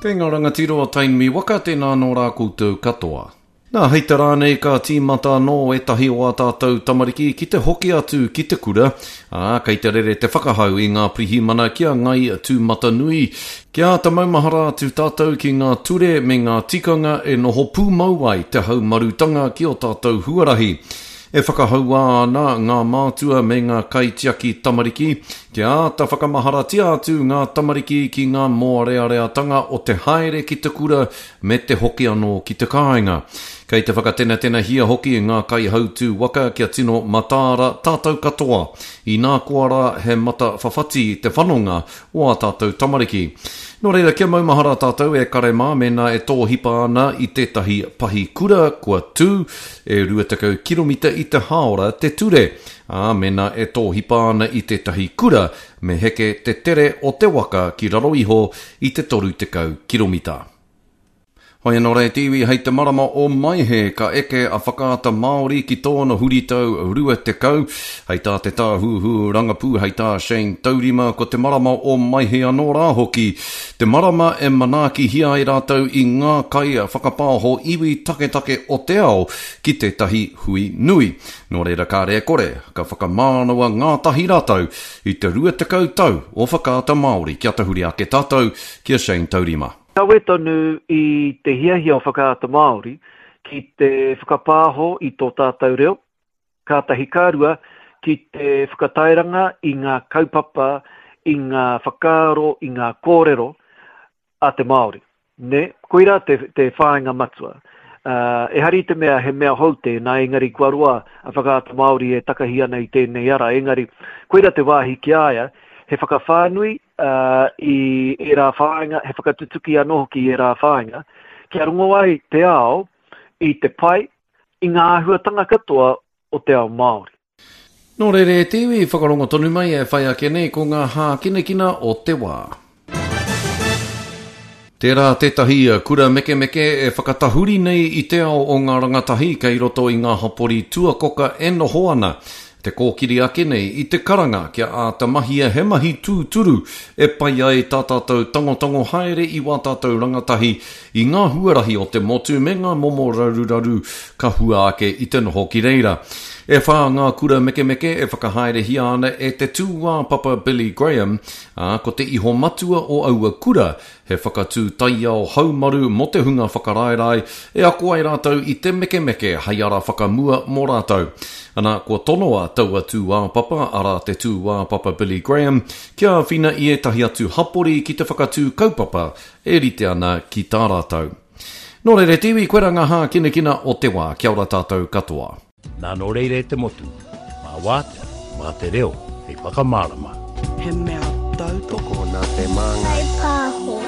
Kei ngā rangatira o Tainui waka, tēnā anō rā koutou katoa. Nā, hei te rā nei ka tīmata anō ētahi o ā tātou tamariki ki te hoki atu ki te kura, ā, kei te rere te whakahau i ngā pirihimana ki a Ngai Tūmatanui, kia āta maumahara atu tātou ki ngā ture me ngā tikanga e noho pūmau ai te haumarutanga ki ō tātou huarahi. E whakahaua ana ngā mātua me ngā kaitiaki tamariki kia āta whakamaharatia atu ngā tamariki ki ngā mōreareatanga o te haere ki te kura me te hoki anō ki te kāinga. Kei te whakatenatenahia hoki ngā kaihautū waka kia tino mataara tātou katoa, inā koa rā he mata whawhati te whanonga o ā tātou tamariki. Nō reira, kia maumahara tātou e kare mā mēnā e tōhipa ana i tētahi pahi kura kua tū, e 20 kiromita i te hāora te ture, ā, mēnā e tōhipa ana i tētahi kura, me heke te tere o te waka ki raro iho i te 30 kiromita. Hoi anō rā e te iwi, hei te marama o Maehe ka eke a Whakaata Māori ki tōna huritau 20. Hei tā te tāhuhu rangapū, hei tā Shane Taurima, ko te marama o Maehe anō rā hoki te marama e manaakihia ai rātou i ngā kai whakapāho iwi taketake o te ao ki tētahi hui nui. Nō reira kāre e kore, ka whakamānawa ngātahi rātou i te 20 tau o Whakaata Māori. Kia tahuri ake tātou ki a Shane Taurima. Kawe tonu i te hiahia o Whakaata Māori ki te whakapāho i tō tātou reo, kātahi ka rua, ki te whakatairanga i ngā kaupapa, i ngā whakaaro, i ngā kōrero a te Māori. Nē, koirā te, te whāinga matua. Uh, ehara i te mea he mea hou tēnā, engari kua roa a Whakaata Māori e takahi ana i tēnei ara, engari koirā te wāhi ki a ia, he whakawhānui i ērā whāinga, he whakatutuki anō hoki i ērā whāinga, kia rongo ai te ao i te pai, i ngā āhuatanga katoa o te ao Māori. Nō reira e te iwi, whakarongo tonu mai e whai ake nei ko ngā hākinakina o te wā. Tērā tētahi kura mekemeke e whakatahuri nei i te ao o ngā rangatahi kei roto i ngā hapori tuakoka e noho ana. Te kōkiri ake nei i te karanga kia āta mahia he mahi tūturu e pai ai tā tātou tangotango haere i wā tātou rangatahi i ngā huarahi o te motu me ngā momo raruraru ka hua ake i te noho ki reira. E whā ngā kura mekemeke e whakahaerehia ana e te tūāpapa Billy Graham, ā, ko te iho matua o aua kura He whakatū taiao haumaru mō te hunga whakaraerae e ako ai rātou i te mekemeke hei ara whakamua mō rātou. Ana, kua tonoa taua tūāpapa, arā te tūāpapa Billy Graham, kia āwhina i ētahi atu hapori ki te whakatū kaupapa e rite ana ki tā rātou. Nō reira e te iwi, koirā ngā hākinakina o te wā. Kia ora tātou katoa. Nā nō reira e te motu, mā wātea, mā te reo hei whakamārama. He mea tautoko. Tokona te māngai. Kaipāho.